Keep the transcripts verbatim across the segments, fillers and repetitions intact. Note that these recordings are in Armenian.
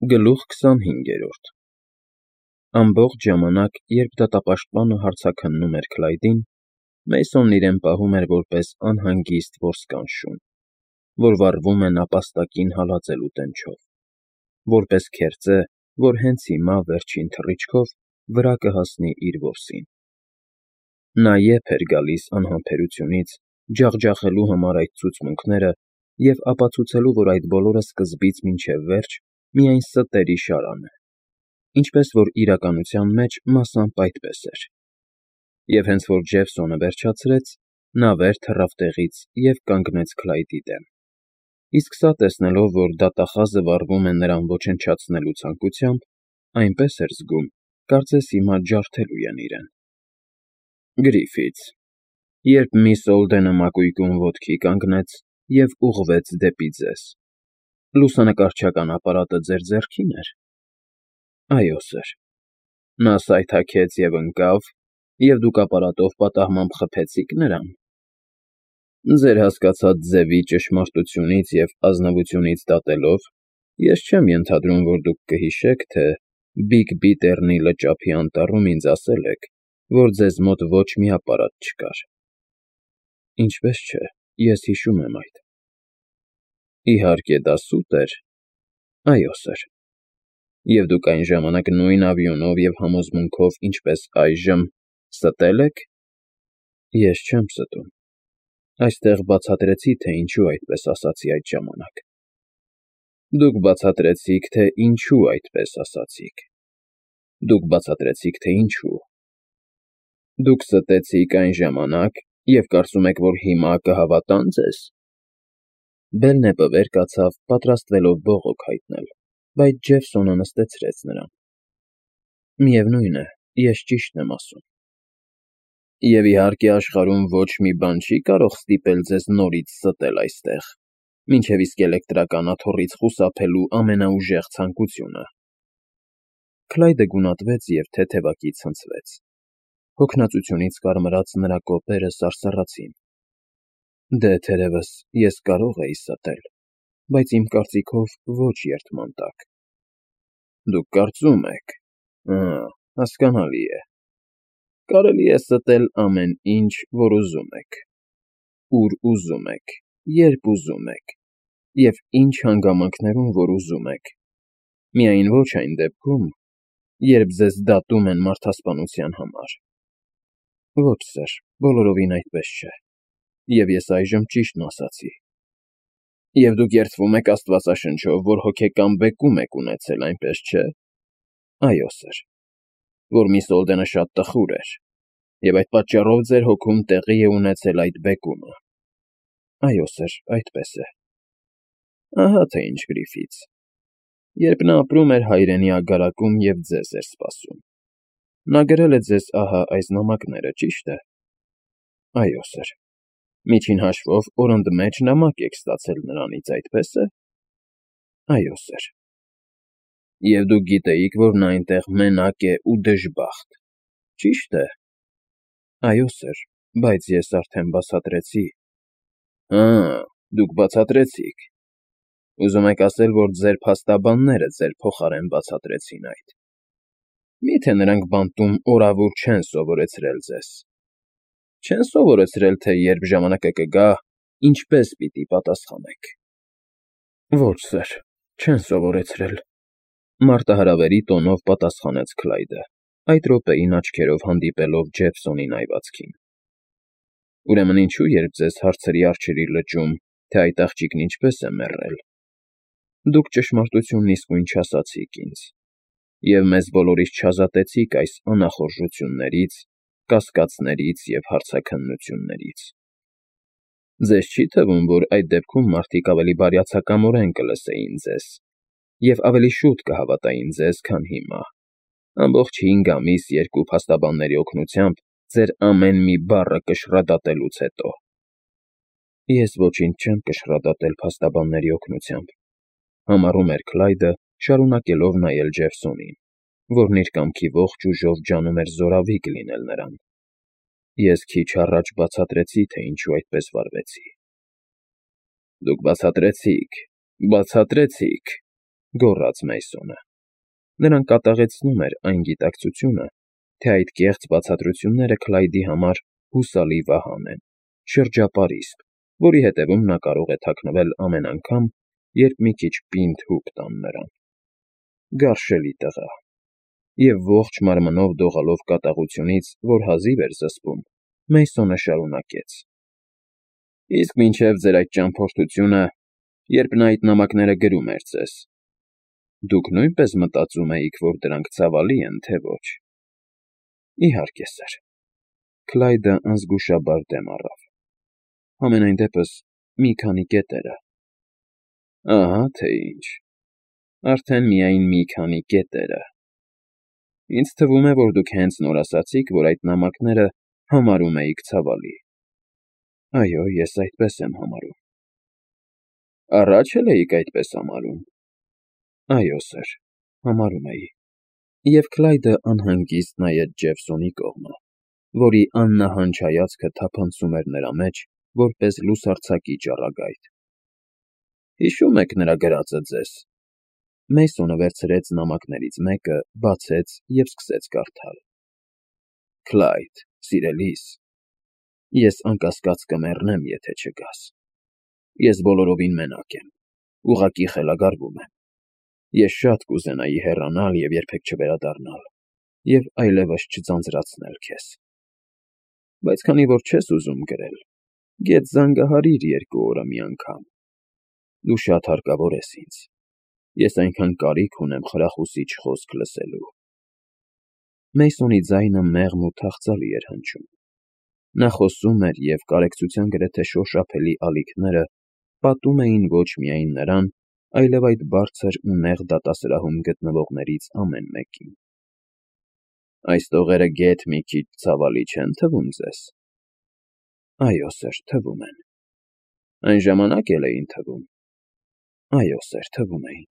Գլուխ քսանհինգերորդ Ամբողջ ժամանակ, երբ դատապաշտպանը հարցաքննում էր Քլայդին, Մեյսոնն իրեն պահում էր որպես անհանգիստ որսկան շուն, որ վառվում է նապաստակին հալածելու տենչով, որպես քերծե, որ հենց հիմա վերջին թռիչքով վրա կհասնի իր որսին։ Նա եփ էր գալիս անհամբերությունից, ջախջախելու համար այդ ցուցմունքները և ապացուցելու, որ այդ բոլորը սկզբից մինչև վերջ միայն ստերի շարան է, ինչպես որ իրականության մեջ մասամբ այդպես էր։ Եվ հենց որ Ջեֆսոնը վերջացրեց, նա վեր թռավ տեղից և կանգնեց Քլայդի դեմ, իսկ սա տեսնելով, որ դատախազը վառվում է նրան ոչնչացնելու ցանկությամբ, այնպես էր զգում, կարծես հիմա ջարդելու են իրեն։ Գրիֆիթս, երբ միս Օլդենը մակույկում ոտքի կանգնեց և ուղղվեց դեպի ձեզ, լուսանկարչական ապարատը ձեր ձեռքի՞ն էր։ Այո, սըր։ Նա սայթաքեց և ընկավ, և դուք ապարատով պատահմամբ խփեցի՞ք նրան։ Ձեր հասկացած ձևի ճշմարտությունից և ազնվությունից դատելով, ես չեմ ենթադրում, որ դուք կհիշեք, թե Բիգ-Բիթեռնի լճափի անտառում ինձ ասել եք, որ ձեզ մոտ ոչ մի ապարատ չկար։ Ինչպես չէ, ես հիշում եմ այդ։ Իհարկե, դա սուտ էր։ Այո, սըր։ Եվ դուք այն ժամանակ նույն ավիոնով և համոզմունքով, ինչպես այժմ, ստե՞լ եք։ Ես չեմ ստում։ Այստեղ բացատրեցի, թե ինչու այդպես ասացի այդ ժամանակ։ Դուք բացատրեցիք, թե ինչու այդպես ասացիք։ Դուք բացատրեցիք, թե ինչու։ Դուք ստեցիք այն ժամանակ և կարծում եք, որ հիմա կհավատա՞ն ձեզ։ Բելնեպը վեր կացավ, պատրաստվելով բողոք հայտնել, բայց Ջեֆսոնը նստեցրեց նրան։ Միևնույն է, ես ճիշտն եմ ասում։ Եվ իհարկե աշխարհում ոչ մի բան չի կարող ստիպել ձեզ նորից ստել այստեղ, մինչև իսկ էլեկտրական աթոռից խուսափելու ամենաուժեղ ցանկությունը։ Քլայդը գունատվեց և թեթևակի ցնցվեց։ Հոգնածությունից կարմրած նրա կոպերը սարսռացին։ Դե, թերևս, ես կարող էի ստել, բայց իմ կարծիքով ոչ երդման տակ։ Դուք կարծում եք, ըը, հասկանալի է։ Կարելի է ստել ամեն ինչ, որ ուզում եք, ուր ուզում եք, երբ ուզում եք և ինչ հանգամանքներում որ ուզում եք, միայն ոչ այն դեպքում, երբ ձեզ դատում են մարդասպանության համար։ Ոչ, սըր, բոլորովին այդպես չէ, և ես այժմ ճիշտն ասացի։ Եվ դուք երդվում եք աստվածաշնչով, որ հոգեկան բեկում եք ունեցել, այնպես չէ։ Այո, սըր, որ միս Օլդենը շատ տխուր էր, և այդ պատճառով ձեր հոգում տեղի է ունեցել այդ բեկումը։ Այո, սըր, այդպես է։ Ահա թե ինչ, Գրիֆիթս։ Երբ նա ապրում էր հայրենի ագարակում և ձեզ էր սպասում։ Նա գրել է ձեզ ահա այս նամակները, ճի՞շտ է։ Այո, սըր։ Միջին հաշվով օրընդմեջ նամակ եք ստացել նրանից, այդպես է։ Այո, սըր։ Եվ դուք գիտեիք, որ նա այնտեղ մենակ է ու դժբախտ, ճի՞շտ է։ Այո, սըր, բայց ես արդեն բացատրեցի։ Հը, դուք բացատրեցիք։ Ուզում եք ասել, որ ձեր փաստաբանները ձեր փոխարեն բացատրեցին այդ։ Մի՞թե նրանք բանտում օրավուր չեն սովորեցրել ձեզ։ Չեն սովորեցրել, թե երբ ժամանակը կգա, ինչպես պիտի պատասխանեք։ Ոչ, սըր, չեն սովորեցրել, մարտահրավերի տոնով պատասխանեց Քլայդը, այդ րոպեին աչքերով հանդիպելով Ջեֆսոնի նայվածքին։ Ուրեմն ինչու, երբ ձեզ հարցրի Արջերի լճում, թե այդ աղջիկն ինչպես է մեռել, դուք ճշմարտությունն իսկույն չասացիք ինձ, և մեզ բոլորիս չազատեցիք այս անախորժություններից, կասկածներից և հարցաքննություններից։ Ձեզ չի՞ թվում, որ այդ դեպքում մարդիկ ավելի բարյացակամորեն կլսեին ձեզ և ավելի շուտ կհավատային ձեզ, քան հիմա, ամբողջ հինգ ամիս երկու փաստաբանների օգնությամբ ձեր ամեն մի բառը կշռադատելուց հետո։ Ես ոչինչ չեմ կշռադատել փաստաբանների օգնությամբ, համառում էր Քլայդը, շարունակելով նայել Ջեֆսոնին, որն իր կամքի ողջ ուժով ջանում էր զորավիգ լինել նրան։ Ես քիչ առաջ բացատրեցի, թե ինչու այդպես վարվեցի։ Դուք բացատրեցիք, բացատրեցիք, գոռաց Մեյսոնը։ Նրան կատաղեցնում էր այն գիտակցությունը, թե այդ կեղծ բացատրությունները Քլայդի համար հուսալի վահան են, շրջապարիսպ, որի հետևում նա կարող է թաքնվել ամեն անգամ, երբ մի քիչ պինդ հուպ տան նրան։ Գարշելի տղա։ Եվ ողջ մարմնով դողալով կատաղությունից, որ հազիվ էր զսպում, Մեյսոնը շարունակեց. Իսկ մինչև ձեր այդ ճամփորդությունը, երբ նա այդ նամակները գրում էր ձեզ, դուք նույնպես մտածում էիք, որ դրանք ցավալի են, թե ոչ։ Իհարկե, սըր։ Քլայդը անզգուշաբար դեմ առավ։ Համենայն դեպս մի քանի կետերը։ Ահա թե ինչ։ Արդեն միայն մի քանի կետերը։ Ինձ թվում է, որ դուք հենց նոր ասացիք, որ այդ նամակները համարում էիք ցավալի։ Այո, ես այդպես եմ համարում։ Առաջ էլ էիք այդպես համարում։ Այո, սըր, համարում էի։ Եվ Քլայդը անհանգիստ նայեց Ջեֆսոնի կողմը, որի աննահանջ հայացքը թափանցում էր նրա մեջ, որպես լուսարձակի ճառագայթ։ Հիշո՞ւմ եք նրա գրածը ձեզ։ Մեյսոնը վերցրեց նամակներից մեկը, բացեց և սկսեց կարդալ. Քլայդ, սիրելիս, ես անկասկած կմեռնեմ, եթե չգաս։ Ես բոլորովին մենակ եմ, ուղղակի խելագարվում եմ։ Ես շատ կուզենայի հեռանալ և երբեք չվերադառնալ, և այլևս չձանձրացնել քեզ։ Բայց քանի որ չես ուզում գրել, գեթ զանգահարիր երկու օրը մի անգամ։ Դու շատ հարկավոր ես ինձ։ Ես այնքան կարիք ունեմ խրախուսիչ խոսք լսելու։ Մեյսոնի ձայնը մեղմ ու թախծալի էր հնչում։ Նա խոսում էր, և կարեկցության գրեթե շոշափելի ալիքները պատում էին ոչ միայն նրան, այլև այդ բարձր ու նեղ դատասրահում գտնվողներից ամեն մեկին։ Այս տողերը գեթ մի քիչ ցավալի չե՞ն թվում ձեզ։ Այո, սըր, թվում են։ Այն ժամանակ էլ էին թվում։ Այո, սըր, թվում էին։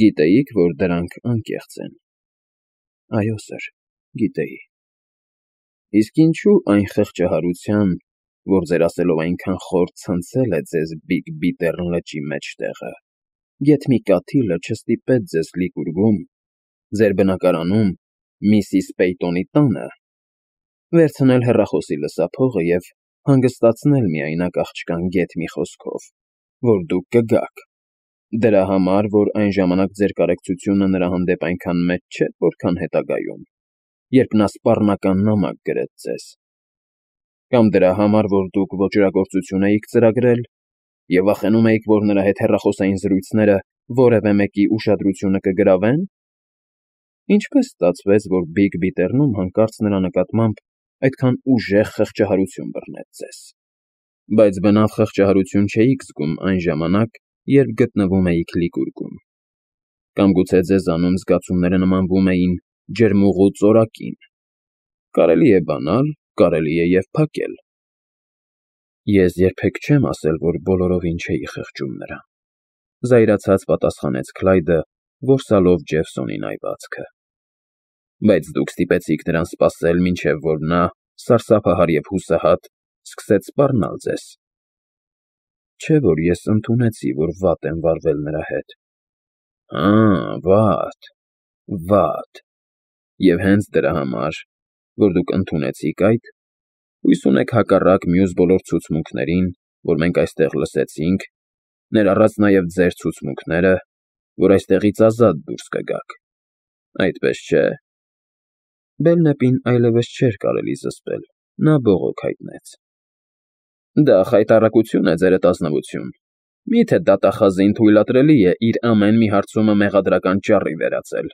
Գիտեիք, որ դրանք անկեղծ են։ Այո, սըր, գիտեի։ Իսկ ինչու այն խղճահարության, որ ձեր ասելով այնքան խոր ցնցել է ձեզ Բիգ Բիթեռն լճի մեջտեղը, գեթ մի կաթիլը չստիպեց ձեզ Լիկուրգում, ձեր բնակարանում, Միսիս Պեյտոնի տանը, վերցնել հեռախոսի լսափողը և հանգստացնել միայնակ աղջկան գեթ մի խոսքով, որ դուք կգաք, դրա համար, որ այն ժամանակ ձեր կարեկցությունը նրա հանդեպ այնքան մեծ չէր, որքան հետագայում, երբ նա սպառնական նամակ գրեց ձեզ, կամ դրա համար, որ դուք ոճրագործություն էիք ծրագրել և վախենում էիք, որ նրա հետ հեռախոսային զրույցները որևէ մեկի ուշադրությունը կգրավեն։ Ինչպես ստացվեց, որ Բիգ Բիթեռնում հանկարծ նրա նկատմամբ այդքան ուժեղ խղճահարություն բռնեց ձեզ։ Բայց բնավ խղճահարություն չէիք զգում այն ժամանակ, երբ գտնվում էիք Լիկուրգում։ Կամ գուցե ձեզանում զգացումները նմանվում էին ջրմուղու ծորակին։ Կարելի է բանալ, կարելի է և փակել։ Ես երբեք չեմ ասել, որ բոլորովին չէի խղճում նրան, զայրացած պատասխանեց Քլայդը, որսալով Ջեֆսոնին այվածքը։ Բայց դուք ստիպեցիք նրան սպասել, մինչև որ նա, սարսափահար և հուսահատ, սկսեց սպառնալ ձեզ։ Չէ՞ որ ես ընդունեցի, որ վատ եմ վարվել նրա հետ։ Հա, վատ, վատ։ Եվ հենց դրա համար, որ դուք ընդունեցիք այդ, հույս ունեք հակառակ մյուս բոլոր ցուցմունքներին, որ մենք այստեղ լսեցինք, ներառած նաև ձեր ցուցմունքները, որ այստեղից ազատ դուրս կգաք, այդպես չէ։ Բելնեպին այլևս չէր կարելի զսպել, նա բողոք հայտնեց։ Դա խայտառակություն է, ձերդ ազնվություն։ Մի՞թե դատախազին թույլատրելի է իր ամեն մի հարցումը մեղադրական ճառի վերածել։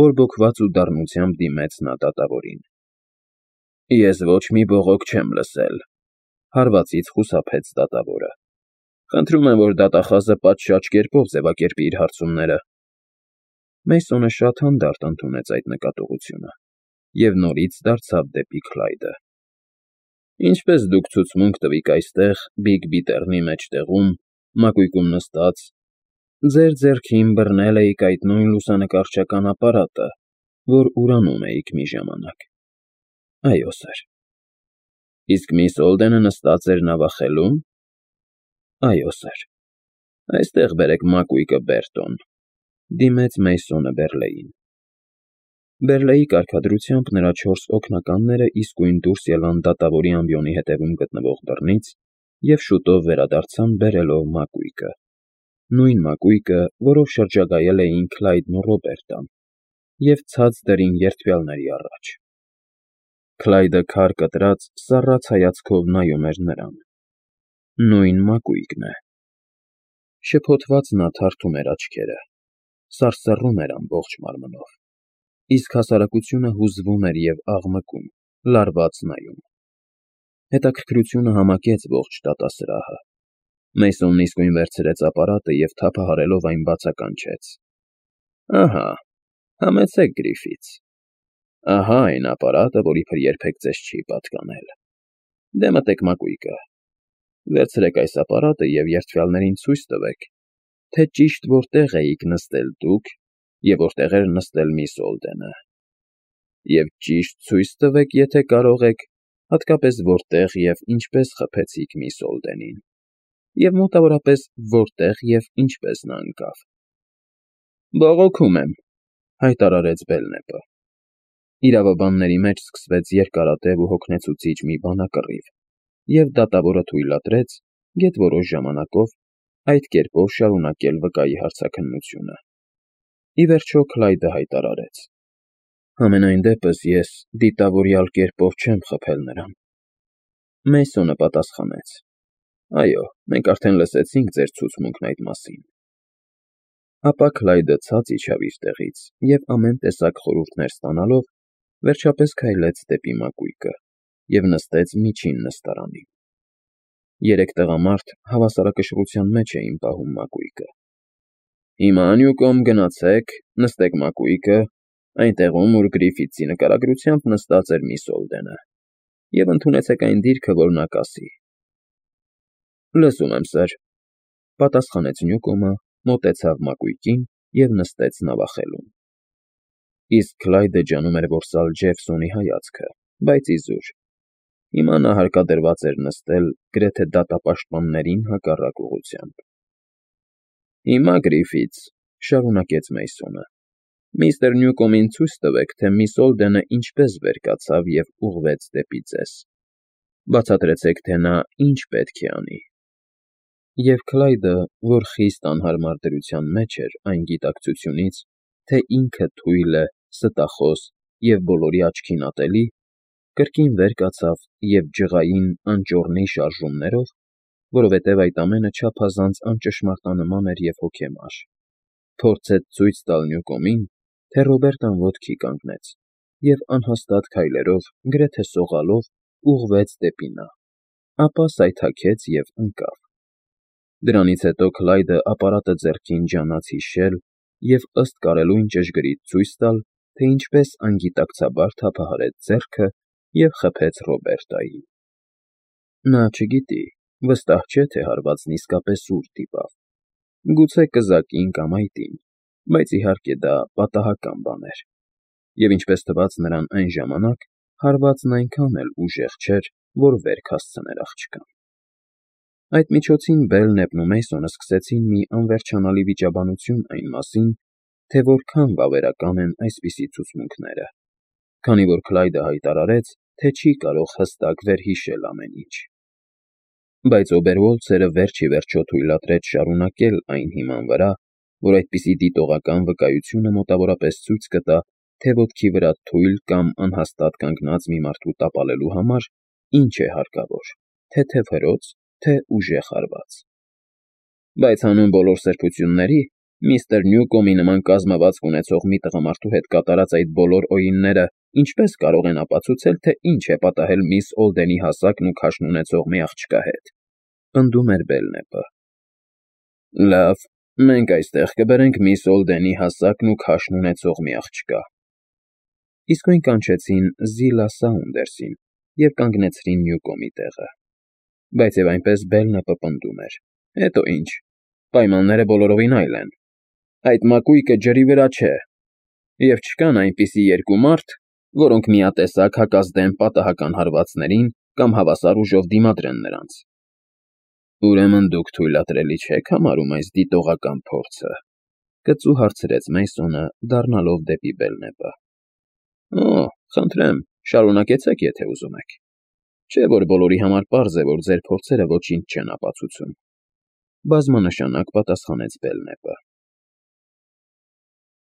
Բորբոքված ու դառնությամբ դիմեց նա դատավորին։ Ես ոչ մի բողոք չեմ լսել, հարվածից խուսափեց դատավորը։ Խնդրում եմ, որ դատախազը պատշաճ կերպով ձևակերպի իր հարցումները։ Մեյսոնը շատ հանդարտ ընդունեց այդ նկատողությունը և նորից դարձավ դեպի Քլայդը։ Ինչպես դուք ցուցմունք տվիք այստեղ, Բիգ Բիթեռնի մեջտեղում, մակույկում նստած, ձեր ձեռքին բռնել էիք այդ նույն լուսանկարչական ապարատը, որ ուրանում էիք մի ժամանակ։ Այո, սըր։ Իսկ միս Օլդենը նստած էր նավախելո՞ւմ։ Այո, սըր։ Այստեղ բերեք մակույկը, Բերտոն, դիմեց Մեյսոնը Բեռլեին։ Բեռլեի կարգադրությամբ նրա չորս օգնականները իսկույն դուրս ելան դատավորի ամբիոնի հետևում գտնվող դռնից և շուտով վերադարձան բերելով մակույկը, նույն մակույկը, որով շրջագայել էին Քլայդն ու Ռոբերտան, և ցած դրին երդվյալների առաջ։ Քլայդը քար կտրած, սառած հայացքով նայում էր նրան։ Նույն մակույկն է։ Շփոթված նա թարթում էր աչքերը, սարսռում էր ամբողջ մարմնով, իսկ հասարակությունը հուզվում էր և աղմկում, լարված նայում։ Հետաքրքրությունը համակեց ողջ դատասրահը։ Մեյսոնն իսկույն վերցրեց ապարատը և թափահարելով այն բացականչեց. Ահա, համեցեք Գրիֆիթս։ Ահա այն ապարատը, որ իբր երբեք ձեզ չի պատկանել։ Դե մտեք մակույկը։ Վերցրեք այս ապարատը և երդվյալներին ցույց տվեք, թե ճիշտ որտեղ էիք նստել դուք և որտեղ էր նստել միս Օլդենը։ Եվ ճիշտ ցույց տվեք, եթե կարող եք, հատկապես որտեղ և ինչպես խփեցիք միս Օլդենին, և մոտավորապես որտեղ և ինչպես նա ընկավ։ Բողոքում եմ, հայտարարեց Բելնեպը։ Իրավաբանների մեջ սկսվեց երկարատև ու հոգնեցուցիչ մի բանակռիվ, և դատավորը թույլատրեց, գեթ-որոշ ժամանակով, այդ կերպով շարունակել վկայի հարցաքննությունը։ Ի վերջո Քլայդը հայտարարեց. Համենայն դեպս ես դիտավորյալ կերպով չեմ խփել նրան։ Մեյսոնը պատասխանեց. Այո, մենք արդեն լսեցինք ձեր ցուցմունքն այդ մասին։ Ապա Քլայդը ցած իջավ իր տեղից և ամեն տեսակ խորհուրդներ ստանալով, վերջապես քայլեց դեպի մակույկը և նստեց միջին նստարանին։ Երեք տղամարդ հավասարակշռության մեջ էին պահում մակույկը։ Հիմա Նյուկոմ գնացեք, նստեք մակույկը, այնտեղում, ուր Գրիֆիթսի նկարագրությամբ նստած էր միս Օլդենը, և ընդունեցեք այն դիրքը, որ նա կասի։ Լսում եմ, սըր, պատասխանեց Նյուկոմը, մոտեցավ մակույկին և նստեց նավախելում։ Իսկ Քլայդը ջանում էր որսալ Ջեֆսոնի հայացքը, բայց իզուր։ Հիմա նա հարկադրված էր նստել գրեթե դատապաշտպաններին հակառակ ուղղությամբ։ Հիմա, Գրիֆիթս, շարունակեց Մեյսոնը, միստր Նյուկոմին ցույց տվեք, թե միս Օլդենը ինչպես վեր կացավ և ուղղվեց դեպի ձեզ։ Բացատրեցեք, թե նա ինչ պետք է անի։ Եվ Քլայդը, որ խիստ անհարմար դրության մեջ էր այն գիտակցությունից, թե ինքը թույլ է, ստախոս և բոլորի աչքին ատելի, կրկին վեր կացավ և ջղային անճոռնի շարժումներով, որովհետև այդ ամենը չափազանց անճշմարտանման էր և հոգեմար, փորձեց ցույց տալ Նյուկոմին, թե Ռոբերտան ոտքի կանգնեց և անհաստատ քայլերով, գրեթե սողալով, ուղղվեց դեպի նա, ապա սայթաքեց և ընկավ։ Դրանից հետո Քլայդը ապարատը ձեռքին ջանաց հիշել և ըստ կարելույն ճշգրիտ ցույց տալ, թե ինչպես անգիտակցաբար թափահարեց ձեռքը և խփեց Ռոբերտային։ Նա չգիտի, վստահ չէ, թե հարվածն իսկապես ուր դիպավ, գուցե կզակին կամ այտին, բայց իհարկե դա պատահական բան էր, և ինչպես թվաց նրան այն ժամանակ, հարվածն այնքան էլ ուժեղ չէր, որ վերք հասցներ աղջկան։ Այդ միջոցին Բելնեպն ու Մեյսոնը սկսեցին մի անվերջանալի վիճաբանություն այն մասին, թե որքան վավերական են այսպիսի ցուցմունքները, քանի որ Քլայդը հայտարարեց, թե չի կարող հստակ վերհիշել ամեն ինչ։ Բայց Օբերվոլցերը վերջ ի վերջո թույլատրեց շարունակել այն հիման վրա, որ այդպիսի դիտողական վկայությունը մոտավորապես ցույց կտա, թե ոտքի վրա թույլ կամ անհաստատ կանգնած մի մարդու տապալելու համար ինչ է հարկավոր, թեթև հրոց, թե ուժեղ հարված։ Բայց հանուն բոլոր սրբությունների, միստր Նյուկոմի նման կազմվածք ունեցող մի տղամարդու հետ կատարած այդ բոլոր օրինները ինչպես կարող են ապացուցել, թե ինչ է պատահել միս Օլդենի հասակն ու քաշն ունեցող մի աղջկա հետ, պնդում էր Բելնեպը։ Լավ, մենք այստեղ կբերենք միս Օլդենի հասակն ու քաշն ունեցող մի աղջկա։ Իսկույն կանչեցին Զիլա Սաունդերսին և կանգնեցրին Նյուկոմի տեղը։ Բայց և այնպես Բելնեպը պնդում էր. Հետո ինչ, պայմանները բոլորովին այլ են։ Այդ մակույկը ջրի վրա չէ, և չկան այնպիսի երկու մարդ, որոնք միատեսակ հակազդեն պատահական հարվածներին կամ հավասար ուժով դիմադրեն նրանց։ Ուրեմն դուք թույլատրելի չեք համարում այս դիտողական փորձը,֊ կծու հարցրեց Մեյսոնը, դառնալով դեպի Բելնեպը։ ֊ Օ՜, խնդրեմ, շարունակեցեք, եթե ուզում եք, չէ՞ որ բոլորի համար պարզ է, որ ձեր փորձերը ոչինչ չեն ապացուցում,֊ բազմանշանակ պատասխանեց Բելնեպը։